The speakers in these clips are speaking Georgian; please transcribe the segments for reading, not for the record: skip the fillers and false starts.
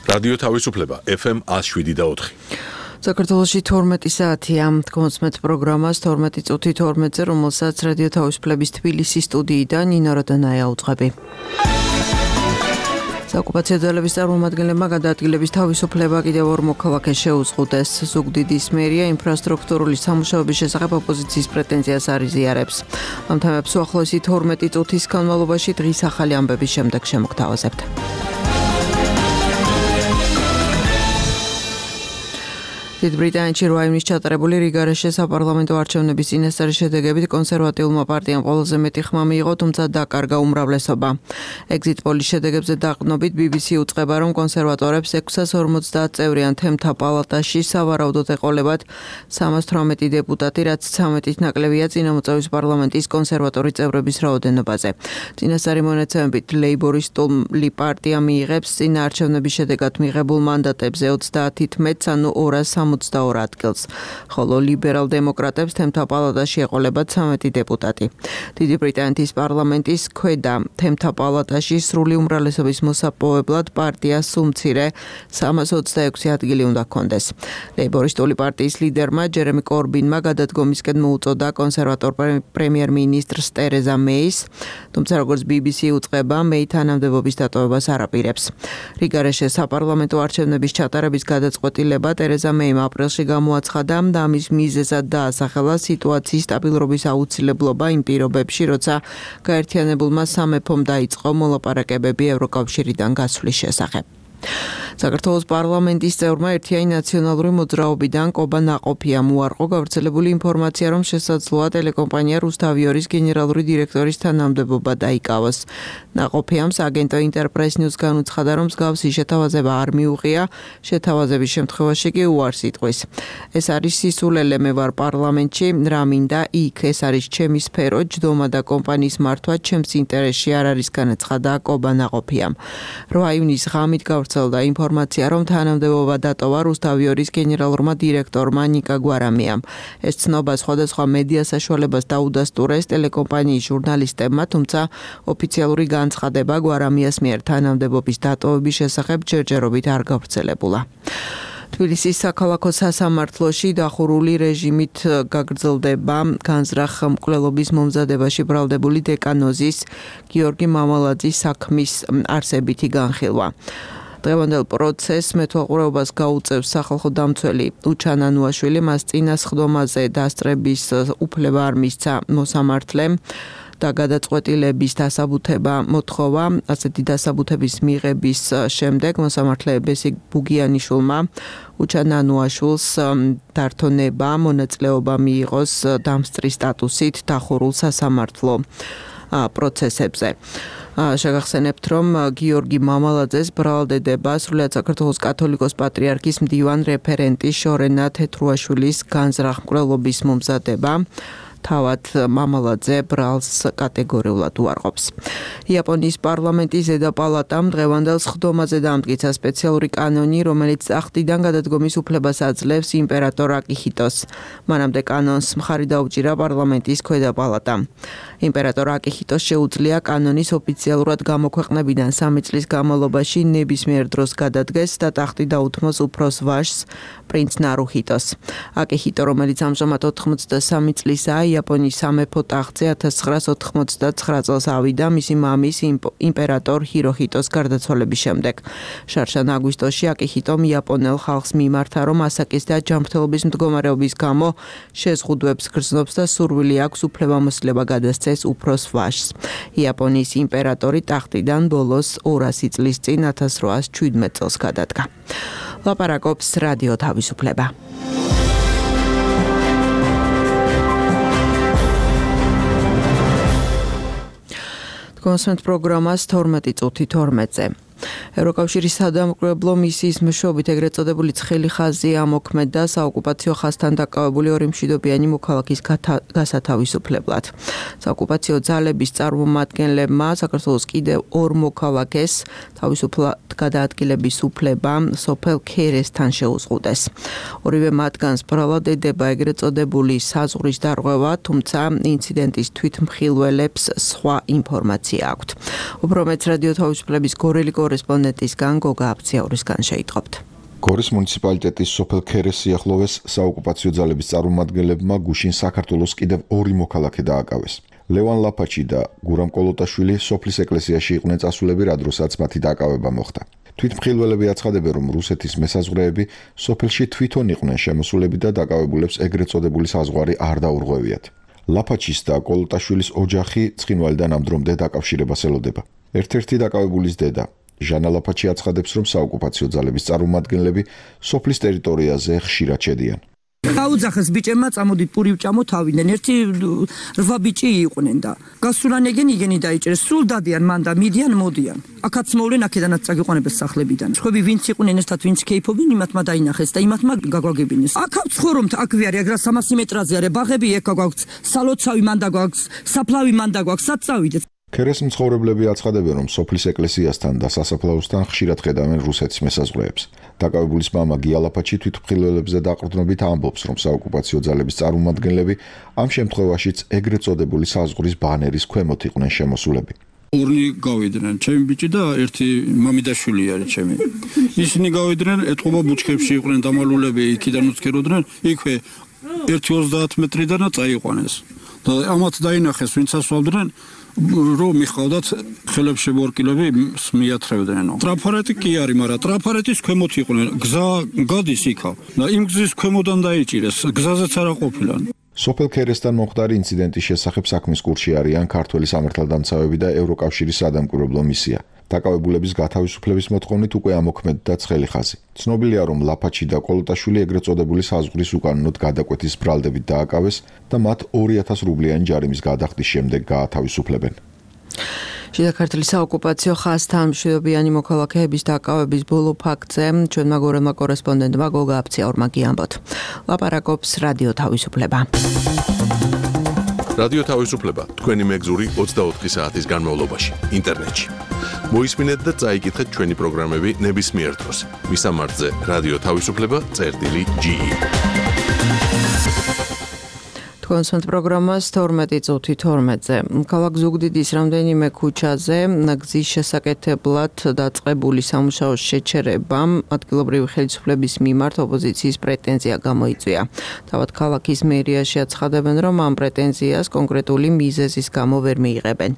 რადიო თავისუფლება FM 107.4. საქართველოში 12 საათია. კონსმეთ პროგრამას 12 წუთი 12-ზე, რომელსაც რადიო თავისუფლების თბილისის სტუდიიდან ნინო როდანაია უძღვები. საოკუპაციო ძალების წარმომადგენლებმა გადაადგილების თავისუფლება კიდევ ორ მოქალაქეს შეუზღუდეს. ზუგდიდის მერია ინფრასტრუქტურული სამუშაოების შესახებ ოპოზიციის პრეტენზიას არ იზიარებს. ამ თემებს უახლოესი 12 წუთის განმავლობაში დღის ახალი ამბების შემდეგ შემოგთავაზებთ. დიდ ბრიტანეთში 8 ივნის ჩატარებული რიგარეშე საპარლამენტო არჩევნების წინასწარი შედეგებით კონსერვატიულმა პარტიამ ყველაზე მეტი ხმა მიიღო, თუმცა დაკარგა უმრავლესობა. Exit polls შედეგებზე დაყრდნობით BBC უწყება, რომ კონსერვატორებს 650 წევრიან თემთა პალატაში სავარაუდოდ ეყოლებათ 318 დეპუტატი, რაც 13-ით ნაკლებია წინამოწევის პარლამენტის კონსერვატორი წევრების რაოდენობაზე. წინასწარი მონაცემებით ლეიბორისტული პარტია მიიღებს წინა არჩევნების შედეგად მიღებულ მანდატებზე 30-ით მეტს, ანუ 262 ადგილს, ხოლო ლიბერალ-დემოკრატებს თემთა პალატაში ეყოლებათ 13 დეპუტატი. დიდი ბრიტანეთის პარლამენტის ქვედა თემთა პალატაში სრული უმრავლესობის მოსაპოვებლად პარტიას უმცირე 326 ადგილი უნდა ჰქონდეს. ლეიბორისტული პარტიის ლიდერმა ჯერემი კორბინმა გადადგომისკენ მოუწოდა კონსერვატორ პრემიერ-მინისტრს ტერეზა მეის, თუმცა როგორც BBC უწყება, მეი თანამდებობის დატოვებას არ აპირებს. რიგარეშე საპარლამენტო არჩევნების ჩატარების გადაწყვეტილება ტერეზა მეიმ აპრილში გამოაცხადა და ამის მიზეზად დაასახელა სიტუაციის სტაბილურობის აუცილებლობა იმ პირობებში, როცა გაერთიანებულმა სამეფომ დაიწყო მოლაპარაკებები ევროკავშირიდან გასვლის შესახებ. საქართველოს პარლამენტის წევრმა ერთიანი ნაციონალური მოძრაობიდან კობა ნაყოფიამ უარყო გავრცელებული ინფორმაცია, რომ შესაძლოა ტელეკომპანია რუსთავიორის გენერალური დირექტორის თანამდებობა დაიკავოს. ნაყოფიამ აგენტო ინტერპრეს ნიუზ განუცხადა, რომ მსგავსი შეთავაზება არ მიუღია, შეთავაზების შემთხვევაში კი უარს იტყვის. ეს არის სისულელე, მე ვარ პარლამენტში, რა მინდა იქ, ეს არის ჩემი სფერო, ჯდომა და კომპანიის მართვა ჩემს ინტერესში არ არის, განაცხადა კობა ნაყოფიამ. 8 ივნის ღამით გავრცელდა ინფორმაცია, რომ თანამდებობა დატოვა რუსთავიორის გენერალურმა დირექტორმა ნიკა გვარამიამ. ეს ცნობა სხვადასხვა მედია საშუალებას დაუდასტურეს ტელეკომპანიის ჟურნალისტებმა, თუმცა ოფიციალური განცხადება გვარამიას მიერ თანამდებობის დატოვების შესახებ ჯერჯერობით არ გავრცელებულა. თბილისის საქალაქო სასამართლოში დახურული რეჟიმით გაგრძელდება განზრახ მკვლელობის მომზადებაში ბრალდებული დეკანოზის გიორგი მამალაძის საქმის არსებითი განხილვა. დღევანდელ პროცესს მეთვალყურეობას გაუწევს სახალხო დამცველი უჩან ანუაშვილი, მას წინა სხდომაზე დასწრების უფლება არ მისცა მოსამართლემ და გადაწყვეტილების დასაბუთება მოთხოვა. ასეთი დასაბუთების მიღების შემდეგ მოსამართლე ბესიკ ბუგიანიშვილმა უჩან ანუაშვილს დართონება მონაწილეობა მიიღოს დამსწრის სტატუსით დახურულ სასამართლო პროცესებზე. შეგახსენებთ, რომ გიორგი მამალაძეს ბრალდება სრულიად საქართველოს კათოლიკოს პატრიარქის მდივან რეფერენტის შორენა თეთრუაშვილის განზრახ მკვლელობის მომზადება. თავად მამალაძე ბრალს კატეგორიულად უარყოფს. იაპონიის პარლამენტის ზედა პალატამ დღევანდელ სხდომაზე დაამტკიცა სპეციალური კანონი, რომელიც ტახტიდან გადადგომის უფლებას აძლევს იმპერატორ აკიჰიტოს. მანამდე კანონს მხარი დაუჭირა პარლამენტის ქვედა პალატამ. იმპერატორ აკიჰიტოს შეუძლია კანონის ოფიციალურად გამოქვეყნებიდან 3 წლის განმავლობაში ნებისმიერ დროს გადადგეს და ტახტი დაუთმოს უფროს ვაჟს, პრინც ნარუჰიტოს. აკიჰიტო, რომელიც ამჟამად 83 წლისაა, იაპონიის სამეფო ტახტზე 1989 წელს ავიდა მისი მამის იმპერატორ ჰიროჰიტოს გარდაცვალების შემდეგ. შარშან აგვისტოში აკიჰიტომ იაპონელ ხალხს მიმართა, რომ ასაკის და ჯანმრთელობის მდგომარეობის გამო შეზღუდვებს გრძნობს და სურვილი აქვს უფლებამოსილება გადასცეს უფროს ვაჟს. იაპონიის იმპერატორი ტახტიდან ბოლოს 200 წლის წინ 1817 წელს გადადგა. ლაპარაკობს რადიო თავისუფლება. კონსმეთ პროგრამას 12 წუთი 12-ზე. ევროკავშირის სადამკვირვებლო მისიის მეშვეობით ეგრეთ წოდებული ცხელი ხაზი ამოქმედა საოკუპაციო ხაზთან დაკავებული ორი მშვიდობიანი მოქალაქის გასათავისუფლებლად. საოკუპაციო ძალების წარმომადგენლებმა საქართველოს კიდევ ორ მოქალაქეს თავისუფლად გადაადგილების უფლება სოფელ ქერესთან შეუზღუდეს. ორივე მათგანს ბრალად ედება ეგრეთ წოდებული საზღვრის დარღვევა, თუმცა ინციდენტის თვითმხილველებს სხვა ინფორმაცია აქვთ. უფრო მეც რადიო თავისუფლების გორელი კორესპონდენტისგან გოგა აფციაურისგან შეიტყობთ. გორის მუნიციპალიტეტის სოფელ ქერეს სიახლოვეს საოკუპაციო ძალების წარმომადგენლებმა გუშინ საქართველოს კიდევ 2 მოქალაქე დააკავეს. ლევან ლაფაჩი და გურამ კოლოტაშვილი სოფლის ეკლესიაში იყვნენ წასულები, რა დროსაც მათი დაკავება მოხდა. თვითმხილველები აცხადებენ, რომ რუსეთის მესაზღვრეები სოფელში თვითონ იყვნენ შემოსულები და დაკავებულებს ეგრეთ წოდებული საზღვარი არ დაურღვევიათ. ლაფაჩის და კოლოტაშვილის ოჯახი ცხინვალიდან ამ დრომდე დაკავშირებას ელოდება. ერთ-ერთი დაკავებულის დედა ჟანა ლაფაჩი აცხადებს, რომ საოკუპაციო ძალების წარმომადგენლები სოფლის ტერიტორიაზე ხშირად შედიან. აუძახეს ბიჭებმა წამოდით პური ვჭამოთ ავიდნენ. ერთი 8 ბიჭი იყვნენ და გასულანეგენ იგენი დაიჭერეს. სულ დადიან მან და მიდიან მოდიან. აქაც მოვლენ, აქედანაც წაგიყვანებეს სახლებიდან. ხვები ვინც იყვნენ ერთად, ვინც კეიფობენ, იმათმა დაინახეს და იმათმა გაგვაგებინეს. აქ ვცხოვრობთ, აქ ვიარი, აგრა 300 მეტრაზე არის. ბაღები ეკა გვაქვს, სალოცავი მან და გვაქვს, საფლავი მან და გვაქვს, სად წავიდეთ? ქერეს მცხოვრებლები აცხადებენ, რომ სოფლის ეკლესიასთან და სასაფლაოსთან ხშირად ხედავენ რუსეთის მესაზღვრეებს. დაკავებულის მამა გია ლაფაჩი თვითმხილველებზე დაყრდნობით ამბობს, რომ საოკუპაციო ძალების წარმომადგენლები ამ შემთხვევაშიც ეგრეთ წოდებული საზღვრის ბანერის ქვემოთ იყვნენ შემოსულები. ორი გავიდნენ, ჩემი ბიჭი და ერთი მამიდაშვილი არის ჩემი. ისინი გავიდნენ, ეთყობა ბუჩქებში იყვნენ დამალულები, იქიდან უცქეროდნენ, იქვე 1-30 მეტრიდანაც წაიყვანეს. და ამათ დაინახეს, ვინც ასვავდნენ, რომ მიხავდათ ხელებში ბორკილები მიათრევდნენ. ტრაფარეტი კი არის, მაგრამ ტრაფარეტის ქვემოთ იყვნენ. გზა გადის იქა და იმ გზის ქვემოდან დაიჭირეს. გზაზეც არ ყოფილა. სოფელ ქერესთან მომხდარი ინციდენტის შესახებ საქმის კურსში არიან ქართველი სამართალდამცავები და ევროკავშირის სადამკვირვებლო მისია. დაკავებულების გათავისუფლების მოთხოვნით უკვე ამოქმედდა ცხელი ხაზი. ცნობილია, რომ ლაფაჩი და კოლოტაშვილი ეგრეთ წოდებული საზღვრის უკანონოდ გადაკვეთის ბრალდებით დააკავეს და მათ 2000 რუბლიანი ჯარიმის გადახდის შემდეგ გაათავისუფლებენ. შიდა ქართლის საოკუპაციო ხაზთან მშვიდობიანი მოქალაქეების დაკავების ბოლო ფაქტზე ჩვენმა გორელმა კორესპონდენტმა გოგა აფციაურმა გიამბოთ. ლაპარაკობს რადიო თავისუფლება. რადიო თავისუფლება თქვენი მეგზური 24 საათის განმავლობაში ინტერნეტში. მოისმინეთ და წაიკითხეთ ჩვენი პროგრამები ნებისმიერ დროს. მისამართზე რადიო თავისუფლება.ge. კონსერტ პროგრამას 12:12-ზე. ქალაქ ზუგდიდის რამდენიმე ქუჩაზე გზის შესაკეთებლად დაწყებული სამუშაოს შეჩერებამ ადგილობრივი ხელისუფლების მიმართ ოპოზიციის პრეტენზია გამოიწვია. თავად ქალაქის მერიაში აცხადებენ, რომ ამ პრეტენზიას კონკრეტული მიზეზის გამო ვერ მიიღებენ.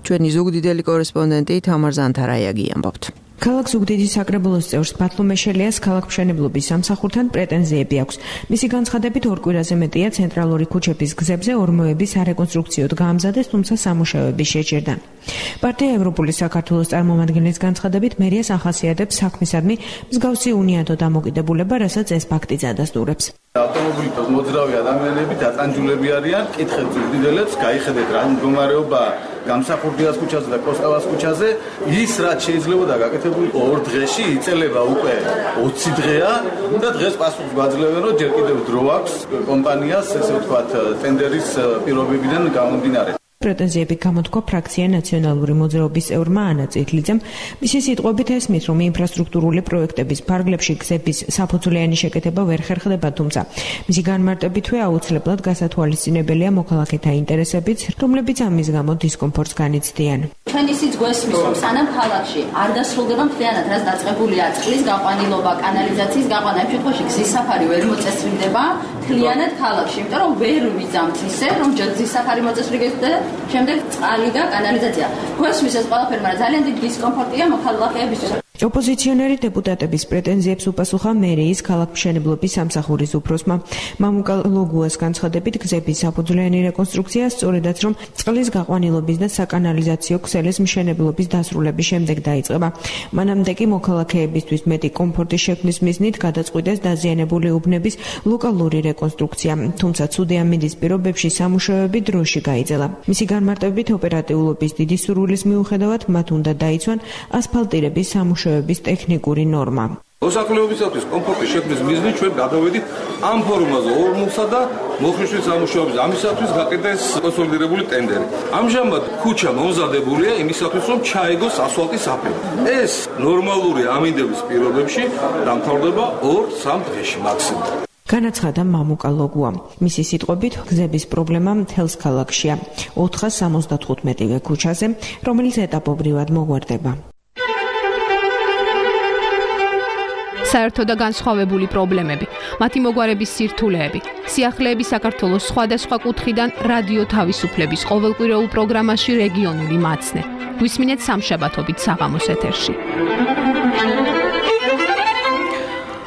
ჩვენი ზუგდიდელი კორესპონდენტი თამარ ზანთარაიაგი ამბობთ. ქალაქ ზუგდიდის საკრებულოს წევრს ბათლუ მეშელიას ქალაქმშენებლობის სამსახურთან პრეტენზიები აქვს. მისი განცხადებით, 2 კვირაზე მეტია ცენტრალური ქუჩების გზებზე ორმოების არეკონსტრუქციოდ გაამზადეს, თუმცა სამუშაოები შეჩერდა. პარტია ევროპული საქართველოს წარმომადგენლის განცხადებით, მერიას ახასიათებს საქმისადმი მსგავსი უნიადო დამოკიდებულება, რასაც ეს ფაქტი წადასტურებს. ავტომობილით მოძრავი ადამიანები დატანჯულები არიან, კითხეთ ზუგდიდელებს, გაიხედეთ რა მდგომარეობაა გამსახურდიას ქუჩაზე და კოსტავას ქუჩაზე, ის რაც შეიძლებოდა გაკეთებული 2 დღეში იწელება უკვე 20 დღეა და დღეს პასუხს გვაძლევენ, რომ ჯერ კიდევ დრო აქვს კომპანიას, ესე ვთქვათ, ტენდერის პირობებიდან გამომდინარე. პრეტენზიები გამოთქვა ფრაქცია ნაციონალური მოძრაობის წევრმა ანა წითლიძემ. მისი სიტყვებით ესმის, რომ ინფრასტრუქტურული პროექტების ფარგლებში გზების საფუძვლიანი შეკეთება ვერ ხერხდება, თუმცა მისი განმარტებითვე აუცილებლად გასათვალისწინებელია მოქალაქეთა ინტერესებიც, რომლებიც ამის გამო დისკომფორტს განიცდიან. ჩვენ ისიც გვესმის, რომ სანამ ქალაქში არ დასრულდება მთლიანად, რაც დაწყებულია წყლის გაყვანილობა, კანალიზაციის გაყვანა, ამ შემთხვევაში გზის საფარი ვერ მოწესრიგდება მთლიანად ქალაქში, იმიტომ რომ ვერ ვიძამთ ისე, რომ გზის საფარი მოწესრიგდეს და შემდეგ წყალი და კანალიზაცია. გვესმის ეს ყველაფერი, მაგრამ ძალიან დიდი დისკომფორტია მოქალაქეებისთვის. ოპოზიციონერი დეპუტატების პრეტენზიებს უპასუხა მერიის ქალაქმშენებლობის სამსახურის უფროსმა მამუკა ლოგუას განცხადებით, გზების საფუძვლიანი რეკონსტრუქცია სწორედაც რომ წყლის გაყვანილობის და საკანალიზაციო ქსელის მშენებლობის დასრულების შემდეგ დაიწყება. მანამდე კი მოქალაქეებისთვის მეტი კომფორტის შექმნის მიზნით გადაწყვიტეს დაზიანებული უბნების ლოკალური რეკონსტრუქცია, თუმცა ცუდი ამინდის პირობებში სამუშაოები დროში გაიძელა. მისი განმარტებით, ოპერატიულობის დიდი სურვილის მიუხედავად მათ უნდა დაიცვან ასფალტირების სამუშაოების ტექნიკური ნორმა. მოსახლეობისათვის კომფორტის შექმნის მიზნით ჩვენ გადავედით ამ ფორმაზე ორმოსა და მოხმარების სამუშაოების ამისათვის გაკეთდეს კონსოლიდირებული ტენდერი. ამჟამად ქუჩა მომზადებულია იმისათვის, რომ ჩაეგოს ასფალტის აფერი. ეს ნორმალური ამინდების პირობებში დამთავრდება 2-3 დღეში მაქსიმუმ. განაცხადა მამუკა ლოგუა. მისი სიტყვებით, გზების პრობლემა მთელს ქალაქშია 475 ქუჩაზე, რომელიც ეტაპობრივად მოგვარდება. საერთო და განსხვავებული პრობლემები, მათი მოგვარების სირთულეები, სიახლეები საქართველოს სხვადასხვა კუთხიდან რადიო თავისუფლების ყოველკვირეულ პროგრამაში რეგიონული მაცნე. გვისმინეთ სამშაბათობით საღამოს ეთერში.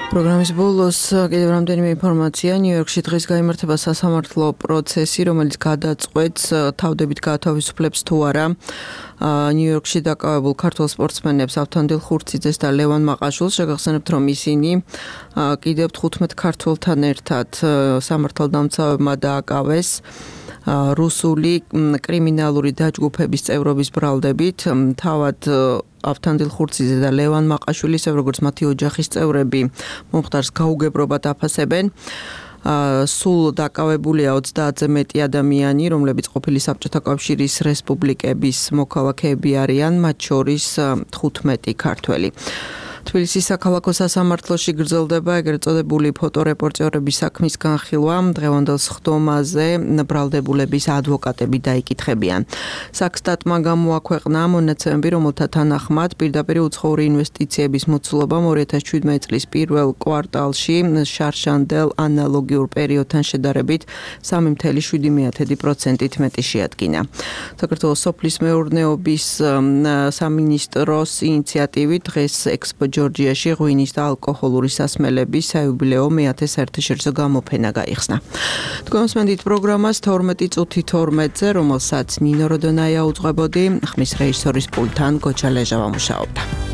პროგრამის ბოლოს კიდევ რამდენიმე ინფორმაცია. ნიუ-იორკში დღეს გაიმართება სასამართლო პროცესი, რომელიც გადაწყვეტს თავდებით გაათავისუფლებს თუ არა ნიუ-იორკში დაკავებულ ქართველ სპორტსმენებს ავთანდილ ხურციძეს და ლევან მაყაშვილს. შეგახსენებთ, რომ ისინი კიდევ 15 ქართველთან ერთად სამართალდამცავებმა დააკავეს რუსული კრიმინალური დაჯგუფების წევრობის ბრალდებით. თავად ავთანდილ ხურციძე და ლევან მაყაშვილი, ისე როგორც მათი ოჯახის წევრები, მომხდარს გაუგებრობად აფასებენ. სულ დაკავებულია 30-ზე მეტი ადამიანი, რომლებიც ყოფილი საბჭოთა კავშირის რესპუბლიკების მოქალაქეები არიან, მათ შორის 15 ქართველი. თბილისის საქალაქო სასამართლოში გრძელდება ეგრეთ წოდებული ფოტორეპორტიორების საქმის განხილვა. დღევანდელ სხდომაზე ბრალდებულების ადვოკატები დაიკითხებიან. საქსტატმა გამოაქვეყნა მონაცემები, რომელთა თანახმად პირდაპირ უცხოური ინვესტიციების მოცულობამ 2017 წლის პირველ კვარტალში შარშანდელ ანალოგიურ პერიოდთან შედარებით 3.7%-ით მეტი შეადგინა. საქართველოს სოფლის მეურნეობის სამინისტროს ინიციატივით დღეს ექსპო ჯორჯიაში ღვინის და ალკოჰოლური სასმელების საიუბილეო მე-10 საერთაშორისო გამოფენა გაიხსნა. თქვენ მოსმენთ პროგრამას 12 წუთი 12-ზე, რომელსაც ნინო როდონაია უძღვებოდი, ხმის რეჟისორის პულტთან გოჩა ლეჟავა მუშაობდა.